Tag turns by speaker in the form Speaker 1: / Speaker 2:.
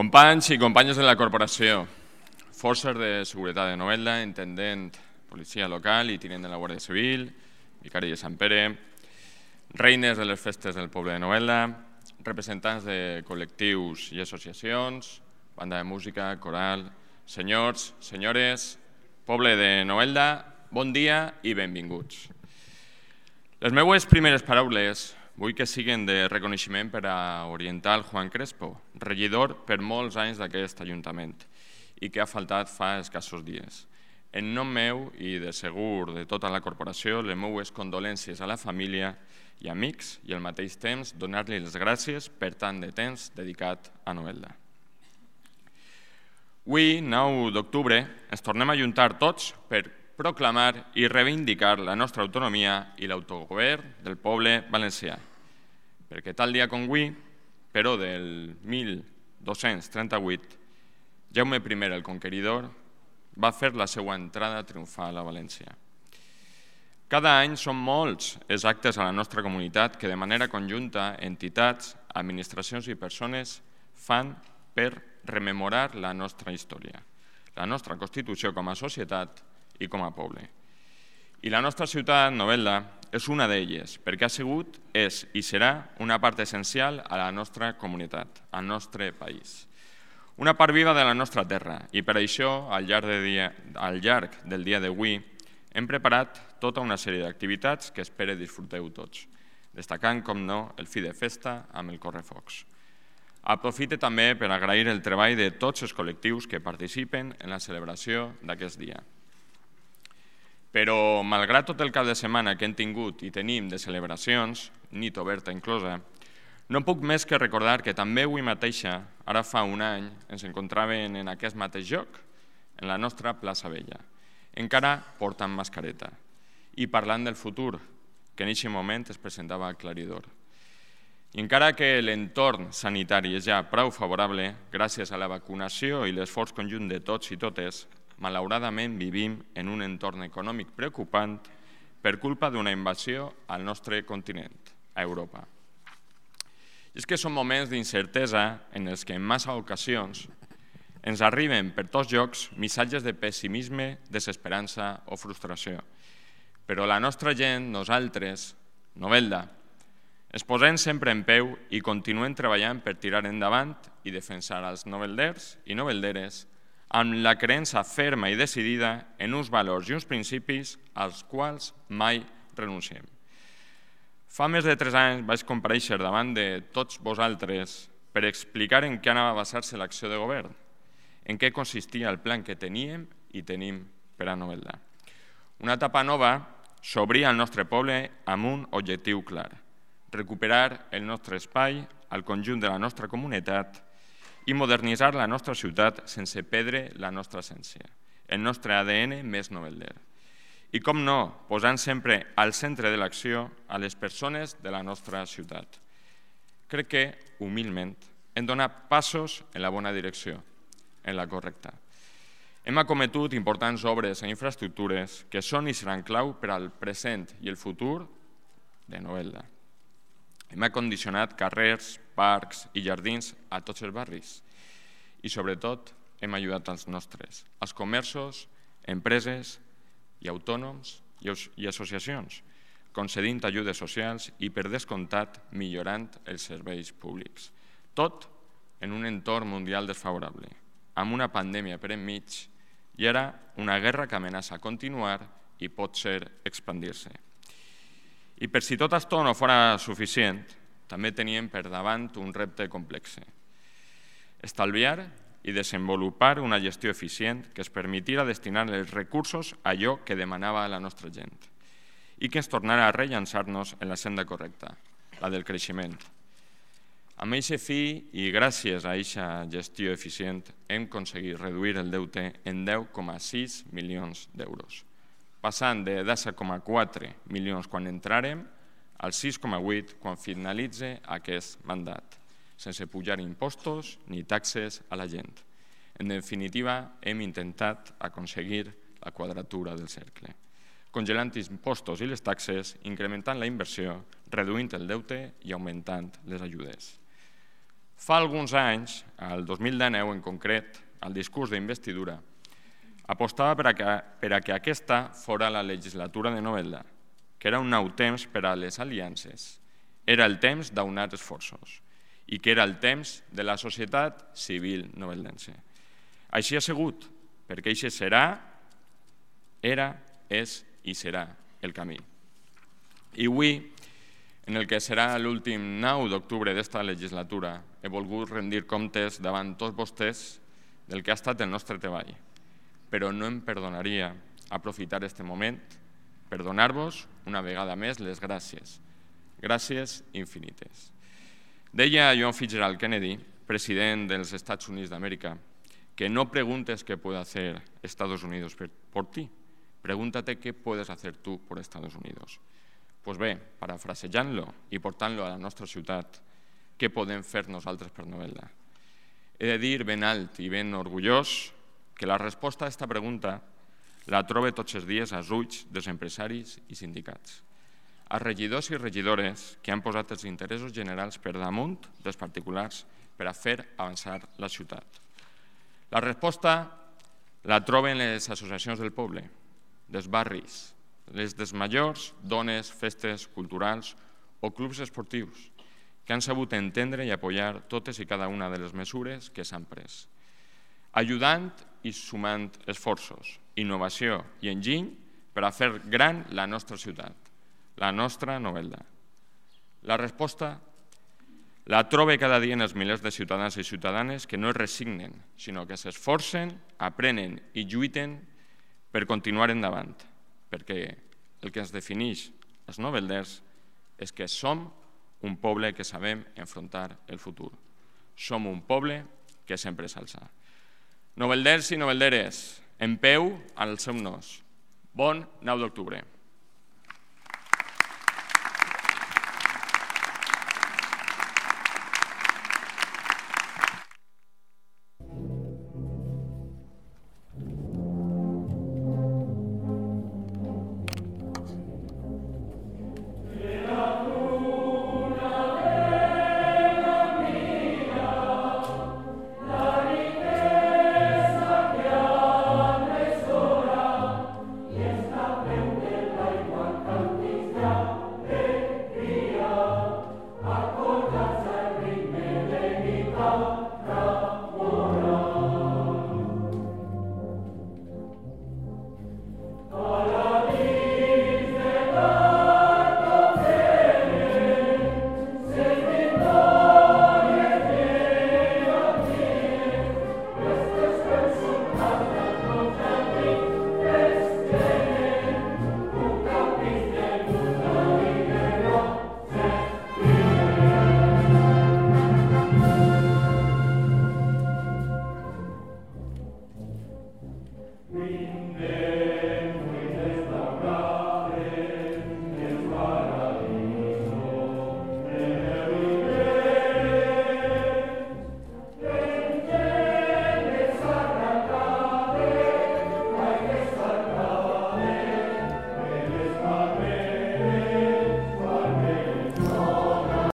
Speaker 1: Companys i companyes de la corporació, forces de seguretat de Novelda, intendent, policia local i tinent de la Guàrdia Civil, vicari de Sant Pere, reines de les festes del poble de Novelda, representants de col·lectius i associacions, banda de música, coral, senyors, senyores, poble de Novelda, bon dia i benvinguts. Les meues primeres paraules vull que siguin de reconeixement per a orientar el Juan Crespo, regidor per molts anys d'aquest Ajuntament i que ha faltat fa escassos dies. En nom meu i de segur de tota la corporació, les meues condolències a la família i amics i al mateix temps donar-li les gràcies per tant de temps dedicat a Novelda. Avui, 9 d'octubre, ens tornem a ajuntar tots per proclamar i reivindicar la nostra autonomia i l'autogovern del poble valencià. Perquè tal dia com avui, però del 1238, Jaume I el Conqueridor va fer la seva entrada triomfal a València. Cada any són molts els actes a la nostra comunitat que de manera conjunta entitats, administracions i persones fan per rememorar la nostra història, la nostra Constitució com a societat i com a poble. I la nostra ciutat, Novelda, és una d'elles, perquè ha sigut, és i serà una part essencial a la nostra comunitat, al nostre país. Una part viva de la nostra terra i per això, al llarg del dia d'avui, hem preparat tota una sèrie d'activitats que espero disfruteu tots, destacant, com no, el fi de festa amb el correfocs. Aprofite també per agrair el treball de tots els col·lectius que participen en la celebració d'aquest dia. Però, malgrat tot el cap de setmana que hem tingut i tenim de celebracions, nit oberta inclosa, no puc més que recordar que també avui mateixa, ara fa un any, ens encontràvem en aquest mateix lloc, en la nostra plaça Vella, encara portant mascareta i parlant del futur, que en aquest moment es presentava aclaridor. I encara que l'entorn sanitari és ja prou favorable, gràcies a la vacunació i l'esforç conjunt de tots i totes, malauradament vivim en un entorn econòmic preocupant per culpa d'una invasió al nostre continent, a Europa. I és que són moments d'incertesa en els que en massa ocasions ens arriben per tots llocs missatges de pessimisme, desesperança o frustració. Però la nostra gent, nosaltres, Novelda, ens posem sempre en peu i continuem treballant per tirar endavant i defensar els novelders i novelderes amb la creença ferma i decidida en uns valors i uns principis als quals mai renunciem. Fa més de 3 anys vaig comparèixer davant de tots vosaltres per explicar en què anava a basar-se l'acció de govern, en què consistia el plan que teníem i tenim per a Novelda. Una etapa nova s'obria al nostre poble amb un objectiu clar: recuperar el nostre espai al conjunt de la nostra comunitat i modernitzar la nostra ciutat sense perdre la nostra essència, el nostre ADN més novelder. I com no, posant sempre al centre de l'acció a les persones de la nostra ciutat. Crec que, humilment, hem donat passos en la bona direcció, en la correcta. Hem acometut importants obres i infraestructures que són i seran clau per al present i el futur de Novelda. Hem acondicionat carrers, parcs i jardins a tots els barris i, sobretot, hem ajudat als nostres, als comerços, empreses i autònoms i associacions, concedint ajudes socials i, per descomptat, millorant els serveis públics. Tot en un entorn mundial desfavorable, amb una pandèmia per enmig i ara una guerra que amenaça continuar i pot ser expandir-se. I per si tot això no fos suficient, també teníem per davant un repte complex: estalviar i desenvolupar una gestió eficient que ens permetira destinar els recursos a allò que demanava la nostra gent i que ens tornara a rellançar-nos en la senda correcta, la del creixement. Amb aquest fi i gràcies a aquesta gestió eficient hem aconseguit reduir el deute en 10,6 milions d'euros, passant de 10,4 milions quan entràrem al 6,8 quan finalitza aquest mandat, sense pujar impostos ni taxes a la gent. En definitiva, hem intentat aconseguir la quadratura del cercle, congelant impostos i les taxes, incrementant la inversió, reduint el deute i augmentant les ajudes. Fa alguns anys, el 2019 en concret, el discurs d'investidura apostava per a que aquesta fora la legislatura de Novelda, que era un nou temps per a les aliances, era el temps d'aunar esforços i que era el temps de la societat civil noveldense. Així ha sigut, perquè això serà, era, és i serà el camí. I avui, en el que serà l'últim 9 d'octubre d'esta legislatura, he volgut rendir comptes davant tots vostès del que ha estat el nostre treball, però no em perdonaria aprofitar aquest moment per donar-vos una vegada més les gràcies. Gràcies infinites. Deia John Fitzgerald Kennedy, president dels Estats Units d'Amèrica, que no preguntes qué puede hacer Estados Unidos por ti, pregúntate qué puedes hacer tú por Estados Unidos. Pues bé, parafrasejant-lo i portant-lo a la nostra ciutat, què podem fer nosaltres per Novelda? He de dir ben alt i ben orgullós que la resposta a aquesta pregunta la trobe tots els dies als ulls dels empresaris i sindicats, als regidors i regidores que han posat els interessos generals per damunt dels particulars per a fer avançar la ciutat. La resposta la troben les associacions del poble, dels barris, les dels majors, dones, festes culturals o clubs esportius, que han sabut entendre i apoyar totes i cada una de les mesures que s'han pres, ajudant i sumant esforços, innovació i enginy per a fer gran la nostra ciutat, la nostra Novelda. La resposta la trobe cada dia en els milers de ciutadans i ciutadanes que no es resignen, sinó que s'esforcen, aprenen i lluiten per continuar endavant, perquè el que ens defineix els novelders és que som un poble que sabem enfrontar el futur. Som un poble que sempre s'alça. Novelders i novelderes, en peu als seu nos. Bon 9 d'octubre.